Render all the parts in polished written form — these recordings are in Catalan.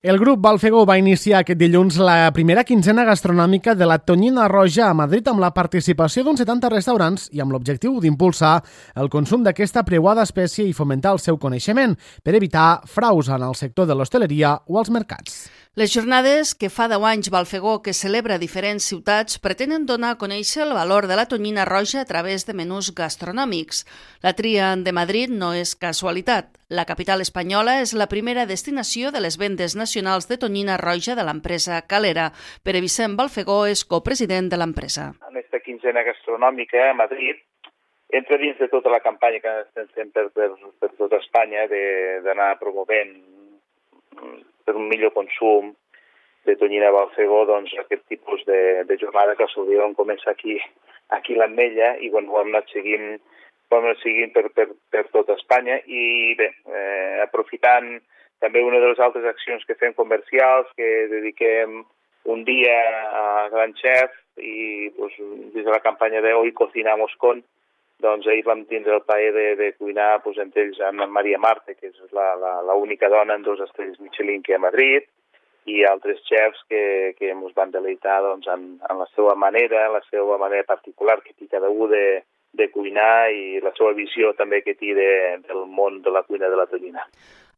El grup Balfegó va iniciar aquest dilluns la primera quinzena gastronòmica de la Tonyina Roja a Madrid amb la participació d'uns 70 restaurants i amb l'objectiu d'impulsar el consum d'aquesta preuada espècie i fomentar el seu coneixement per evitar fraus en el sector de l'hostaleria o als mercats. Les jornades que fa 10 anys Balfegó que celebra a diferents ciutats pretenen donar a conèixer el valor de la tonyina roja a través de menús gastronòmics. La tria de Madrid no és casualitat. La capital espanyola és la primera destinació de les vendes nacionals de tonyina roja de l'empresa Calera. Pere Vicent Balfegó és copresident de l'empresa. En aquesta quinzena gastronòmica a Madrid entra dins de tota la campanya que estem fent per tota Espanya d'anar promovent per un millor consum de tonyina Balfegó, doncs aquest tipus de jornada que solíem començar aquí a l'Ametlla i ho hem anat seguint per tota Espanya i bé, aprofitant també una de les altres accions que fem comercials, que dediquem un dia a Gran Chef i doncs, des de la campanya de Hoy Cocinamos Con, doncs ahir vam tindre el plaer de cuinar doncs, entre ells amb Maria Marte, que és l'única dona en 2 estrelles Michelin que hi ha a Madrid, i altres xefs que ens van deleitar doncs, en la seva manera particular que té cada un de cuinar i la seva visió també que té del món de la cuina de la tonyina.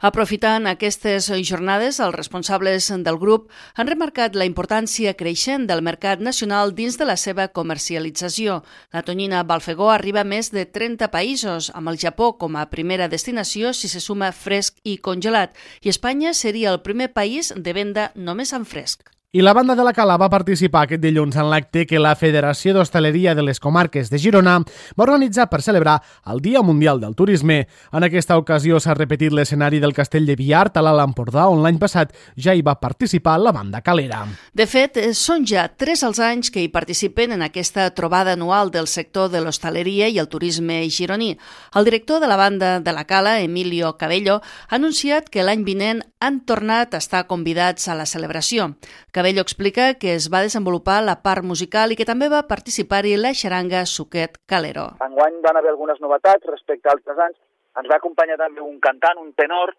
Aprofitant aquestes jornades, els responsables del grup han remarcat la importància creixent del mercat nacional dins de la seva comercialització. La tonyina Balfegó arriba a més de 30 països, amb el Japó com a primera destinació si se suma fresc i congelat, i Espanya seria el primer país de venda només en fresc. I la banda de la Cala va participar aquest dilluns en l'acte que la Federació d'Hostaleria de les Comarques de Girona va organitzar per celebrar el Dia Mundial del Turisme. En aquesta ocasió s'ha repetit l'escenari del Castell de Viart a l'Alt Empordà, on l'any passat ja hi va participar la banda calera. De fet, són ja 3 els anys que hi participen en aquesta trobada anual del sector de l'hostaleria i el turisme gironí. El director de la banda de la Cala, Emilio Cabello, ha anunciat que l'any vinent han tornat a estar convidats a la celebració. Cabello explica que es va desenvolupar la part musical i que també va participar-hi la xaranga Suquet Calero. Enguany van haver algunes novetats respecte a altres anys. Ens va acompanyar també un cantant, un tenor,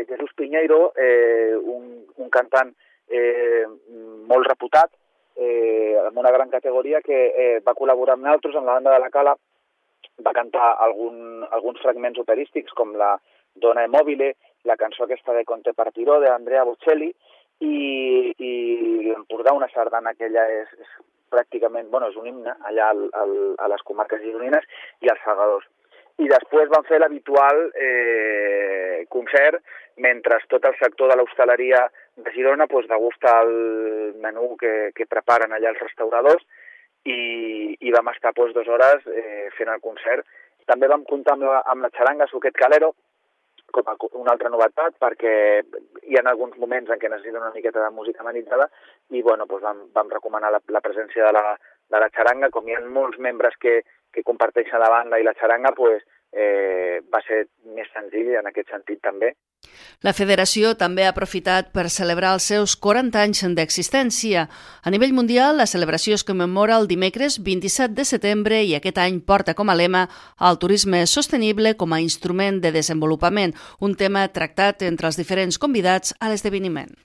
Jesús Piñeiro, un cantant molt reputat, amb una gran categoria que va col·laborar amb nosaltres en la banda de la Cala. Va cantar alguns fragments operístics com la Dona Immobile, la cançó aquesta de Conte Partiró d'Andrea Bocelli, i l'Empordà, una sardana que ella és pràcticament, és un himne allà a les comarques gironines i als segadors. I després van fer l'habitual concert mentre tot el sector de l'hostaleria de Girona degusta el menú que preparen allà els restauradors i vam estar 2 hores fent el concert. També vam comptar amb la xaranga Suquet Calero, com a una altra novetat, perquè hi ha alguns moments en què necessiten una miqueta de música amenitzada i vam recomanar la presència de la xaranga. Com hi ha molts membres que comparteixen la banda i la xaranga, va ser més senzill en aquest sentit també. La federació també ha aprofitat per celebrar els seus 40 anys d'existència. A nivell mundial, la celebració es commemora el dimecres 27 de setembre i aquest any porta com a lema el turisme sostenible com a instrument de desenvolupament, un tema tractat entre els diferents convidats a l'esdeveniment.